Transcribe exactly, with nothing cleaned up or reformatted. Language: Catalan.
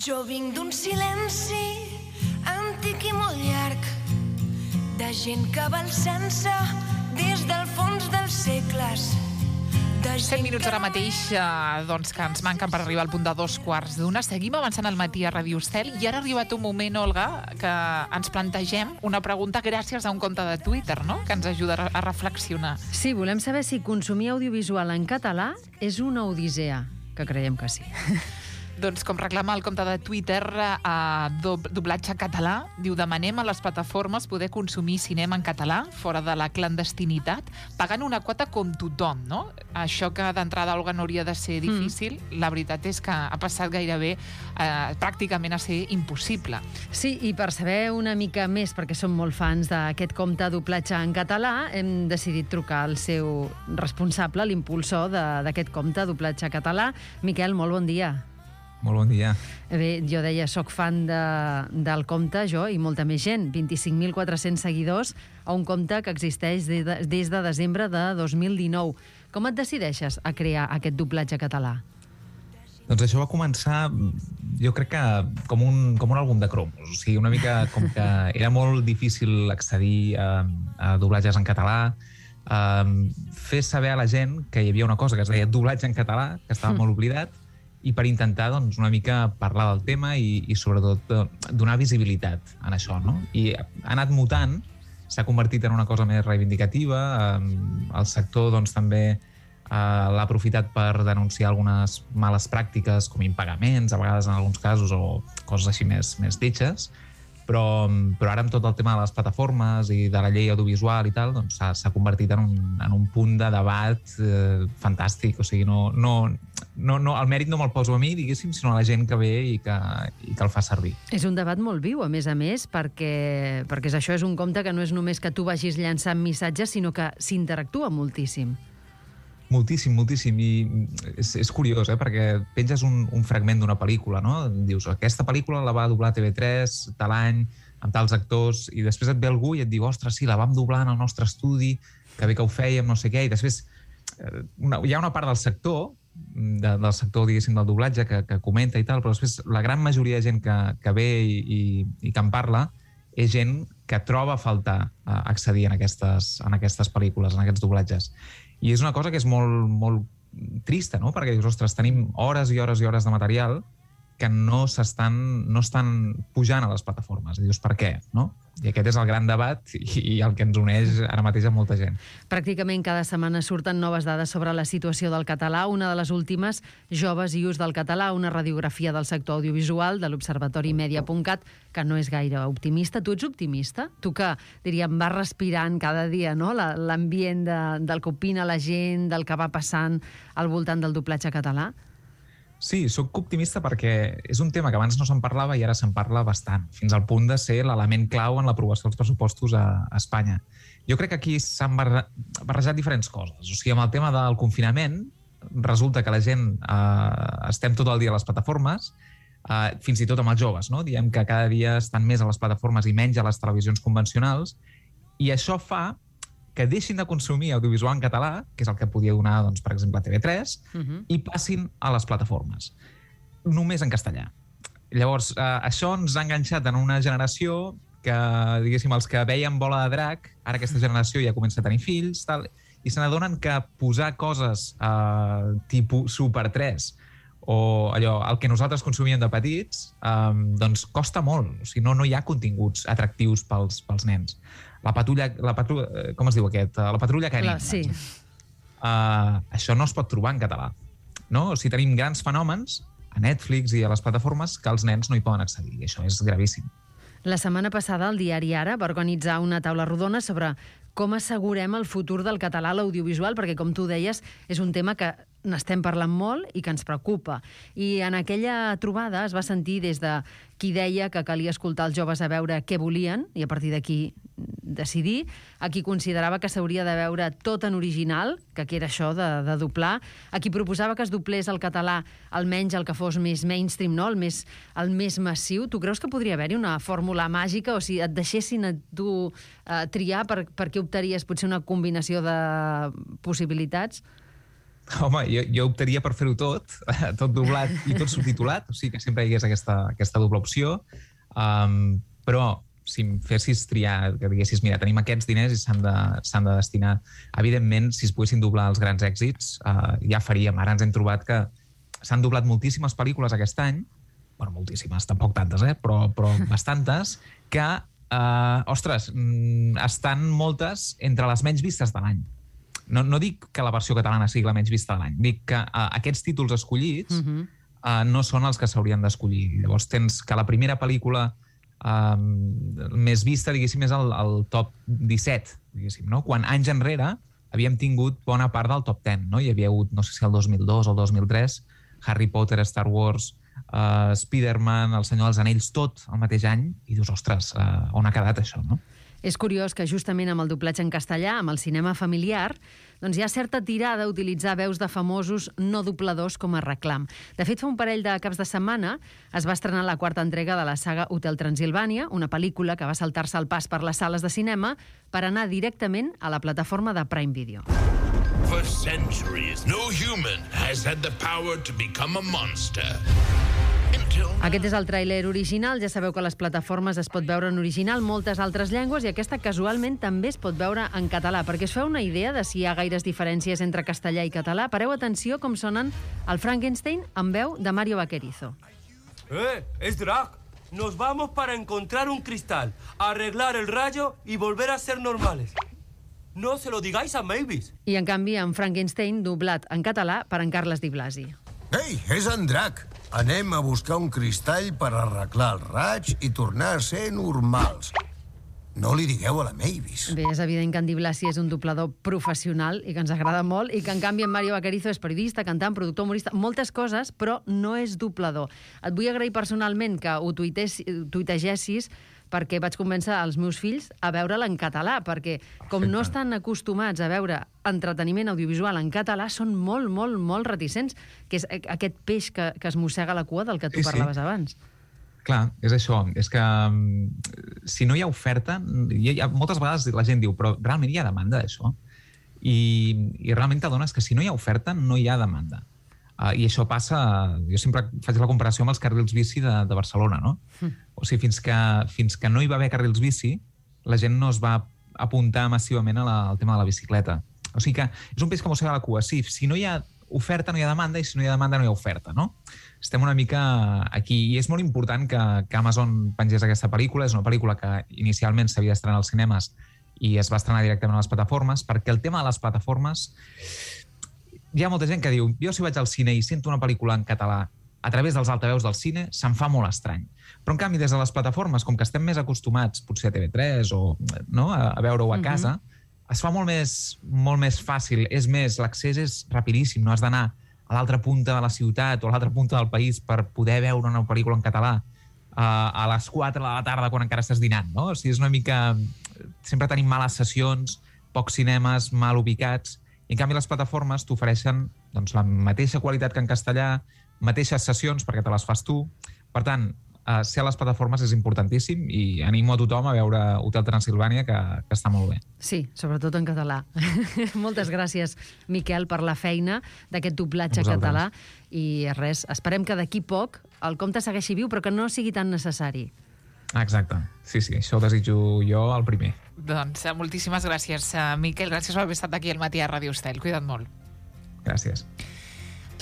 Jo vinc d'un silenci antic i molt llarg, de gent que va alçant-se des del fons dels segles. set minuts ara mateix, eh, doncs que ens manquen per arribar al punt de dos quarts d'una. Seguim avançant al matí a Ràdio Estel i ara ha arribat un moment, Olga, que ens plantegem una pregunta gràcies a un compte de Twitter, no?, que ens ajuda a reflexionar. Sí, volem saber si consumir audiovisual en català és una odissea, que creiem que sí. Doncs com reclama el compte de Twitter, a Doblatge Català, diu: demanem a les plataformes poder consumir cinema en català, fora de la clandestinitat, pagant una quota com tothom, no? Això que d'entrada, Olga, no hauria de ser difícil, mm. la veritat és que ha passat gairebé eh, pràcticament a ser impossible. Sí, i per saber una mica més, perquè som molt fans d'aquest compte Doblatge en català, hem decidit trucar al seu responsable, l'impulsor d'aquest compte Doblatge Català. Miquel, molt bon dia. Molt bon dia. Bé, jo deia, soc fan de, del compte, jo, i molta més gent. vint-i-cinc mil quatre-cents seguidors a un compte que existeix des de, des de desembre de dos mil dinou. Com et decideixes a crear aquest doblatge català? Doncs això va començar, jo crec que com un, com un àlbum de cromos. O sigui, una mica com que era molt difícil accedir a, a doblatges en català, a fer saber a la gent que hi havia una cosa que es deia doblatge en català, que estava mm. molt oblidat, i per intentar, doncs, una mica parlar del tema i, i sobretot, donar visibilitat en això, no? I ha anat mutant, s'ha convertit en una cosa més reivindicativa, el sector, doncs, també eh, l'ha aprofitat per denunciar algunes males pràctiques, com impagaments, a vegades en alguns casos, o coses així més, més lletges, però, però ara amb tot el tema de les plataformes i de la llei audiovisual i tal, doncs s'ha convertit en un, en un punt de debat eh, fantàstic. O sigui, no, no, no, no, el mèrit no me'l poso a mi, diguéssim, sinó a la gent que ve i que, i que el fa servir. És un debat molt viu, a més a més, perquè, perquè això és un compte que no és només que tu vagis llançant missatges, sinó que s'interactua moltíssim. Moltíssim, moltíssim, i és, és curiós, eh? Perquè penges un, un fragment d'una pel·lícula, no? Dius, aquesta pel·lícula la va doblar T V tres tal any, amb tals actors, i després et ve algú i et diu, ostres, sí, la vam doblar en el nostre estudi, que bé que ho fèiem, no sé què, i després una, hi ha una part del sector, de, del sector, diguéssim, del doblatge, que, que comenta i tal, però després la gran majoria de gent que, que ve i, i, i que en parla és gent que troba a faltar accedir en aquestes, en aquestes pel·lícules, en aquests doblatges. I és una cosa que és molt, molt trista, no? Perquè dius, ostres, tenim hores i hores i hores de material que no s'estan, no estan pujant a les plataformes. I dius, per què? No? I aquest és el gran debat i, i el que ens uneix ara mateix a molta gent. Pràcticament cada setmana surten noves dades sobre la situació del català. Una de les últimes, Joves i ús del català, una radiografia del sector audiovisual de l'Observatori Media punt cat, que no és gaire optimista. Tu ets optimista? Tu que, diríem, vas respirant cada dia, no?, l'ambient de, del que opina la gent, del que va passant al voltant del doblatge català? Sí, sóc optimista perquè és un tema que abans no se'n parlava i ara se'n parla bastant, fins al punt de ser l'element clau en l'aprovació dels pressupostos a, a Espanya. Jo crec que aquí s'han barrejat diferents coses. O sigui, amb el tema del confinament, resulta que la gent eh, estem tot el dia a les plataformes, eh, fins i tot amb els joves, no? Diem que cada dia estan més a les plataformes i menys a les televisions convencionals, i això fa que deixin de consumir audiovisual en català, que és el que podia donar, doncs, per exemple, T V tres, uh-huh. i passin a les plataformes, només en castellà. Llavors, eh, això ens ha enganxat en una generació que, diguéssim, els que veien Bola de Drac, ara aquesta generació ja comença a tenir fills, tal, i se n'adonen que posar coses eh, tipus Super tres o allò, el que nosaltres consumíem de petits, eh, doncs costa molt. O sigui, no, no hi ha continguts atractius pels, pels nens. La patrulla, la patrulla, com es diu aquest? La patrulla canina. Sí. Uh, això no es pot trobar en català. No? O sigui, tenim grans fenòmens a Netflix i a les plataformes que els nens no hi poden accedir, i això és gravíssim. La setmana passada el diari Ara va organitzar una taula rodona sobre com assegurem el futur del català a l'audiovisual, perquè, com tu deies, és un tema que n'estem parlant molt i que ens preocupa. I en aquella trobada es va sentir des de qui deia que calia escoltar els joves a veure què volien i a partir d'aquí decidir, a qui considerava que s'hauria de veure tot en original, que era això de, de doblar, a qui proposava que es doblés el català almenys el que fos més mainstream, no? el, més, el més massiu. Tu creus que podria haver-hi una fórmula màgica, o si et deixessin a tu eh, triar, per, per què optaries? Potser una combinació de possibilitats? Home, jo, jo optaria per fer-ho tot, tot doblat i tot subtitulat, o sigui que sempre hi hagués aquesta, aquesta doble opció, um, però si em fessis triar, que diguessis, mira, tenim aquests diners i s'han de, s'han de destinar. Evidentment, si es poguessin doblar els grans èxits, uh, ja faríem. Ara ens hem trobat que s'han doblat moltíssimes pel·lícules aquest any, bueno, moltíssimes, tampoc tantes, eh? però, però bastantes, que, uh, ostres, estan moltes entre les menys vistes de l'any. No, no dic que la versió catalana sigui la menys vista de l'any, dic que uh, aquests títols escollits uh-huh. uh, no són els que s'haurien d'escollir. Llavors tens que la primera pel·lícula uh, més vista, diguéssim, és el, el top disset, diguéssim, no? Quan anys enrere havíem tingut bona part del top deu, no? Hi havia hagut, no sé si el dos mil dos o el dos mil tres, Harry Potter, Star Wars, uh, Spider-Man, El Senyor dels Anells, tot el mateix any, i dius, ostres, uh, on ha quedat això, no? És curiós que justament amb el doblatge en castellà, amb el cinema familiar, doncs hi ha certa tirada a utilitzar veus de famosos no dobladors com a reclam. De fet, fa un parell de caps de setmana es va estrenar la quarta entrega de la saga Hotel Transilvània, una pel·lícula que va saltar-se el pas per les sales de cinema per anar directament a la plataforma de Prime Video. For centuries, no human has had the power to become a monster. Aquest és el tràiler original. Ja sabeu que a les plataformes es pot veure en original moltes altres llengües i aquesta casualment també es pot veure en català. Perquè us feu una idea de si hi ha gaires diferències entre castellà i català? Pareu atenció com sonen el Frankenstein amb veu de Mario Vaquerizo. ¡Eh! ¡Es Drac! Nos vamos para encontrar un cristal, arreglar el rayo y volver a ser normales. No se lo digáis a Mavis. I en canvi en Frankenstein doblat en català per en Carles Di Blasi. Ei, és en Drac. Anem a buscar un cristall per arreglar el raig i tornar a ser normals. No li digueu a la Mavis. Bé, és evident que en Di Blasi és un doblador professional i que ens agrada molt, i que en canvi en Mario Vaquerizo és periodista, cantant, productor, humorista, moltes coses, però no és doblador. Et vull agrair personalment que ho tuitegessis, perquè vaig convèncer els meus fills a veure'l en català, perquè com no estan acostumats a veure entreteniment audiovisual en català, són molt, molt, molt reticents, que és aquest peix que, que es mossega la cua del que tu sí, parlaves sí. abans. Clar, és això. És que si no hi ha oferta, hi ha, moltes vegades la gent diu, però realment hi ha demanda d'això? I, i realment t'adones que si no hi ha oferta, no hi ha demanda. Uh, I això passa... Jo sempre faig la comparació amb els carrils bici de, de Barcelona, no? Mm. O sigui, fins que, fins que no hi va haver carrils bici, la gent no es va apuntar massivament a la, al tema de la bicicleta. O sigui que és un peix que mossega la cua. Sí, si no hi ha oferta, no hi ha demanda, i si no hi ha demanda, no hi ha oferta, no? Estem una mica aquí. I és molt important que, que Amazon pengés aquesta pel·lícula. És una pel·lícula que inicialment s'havia d'estrenar als cinemes i es va estrenar directament a les plataformes, perquè el tema de les plataformes... Hi ha molta gent que diu, jo si vaig al cine i sento una pel·lícula en català a través dels altaveus del cine, se'm fa molt estrany. Però en canvi, des de les plataformes, com que estem més acostumats, potser a T V tres o no, a, a veure-ho a casa, uh-huh. es fa molt més, molt més fàcil. És més, l'accés és rapidíssim, no has d'anar a l'altra punta de la ciutat o a l'altra punta del país per poder veure una pel·lícula en català uh, a les quatre de la tarda quan encara estàs dinant, no? O sigui, és una mica... Sempre tenim males sessions, pocs cinemes, mal ubicats. I en canvi les plataformes t'ofereixen doncs, la mateixa qualitat que en castellà, mateixes sessions perquè te les fas tu. Per tant, eh, ser a les plataformes és importantíssim i animo a tothom a veure Hotel Transilvània, que, que està molt bé. Sí, sobretot en català. Moltes gràcies, Miquel, per la feina d'aquest doblatge català. I res, esperem que d'aquí poc el conte segueixi viu, però que no sigui tan necessari. Exacte. Sí, sí, això ho desitjo jo el primer. Doncs moltíssimes gràcies, Miquel. Gràcies per haver estat aquí al matí a Ràdio Estel. Cuida't molt. Gràcies.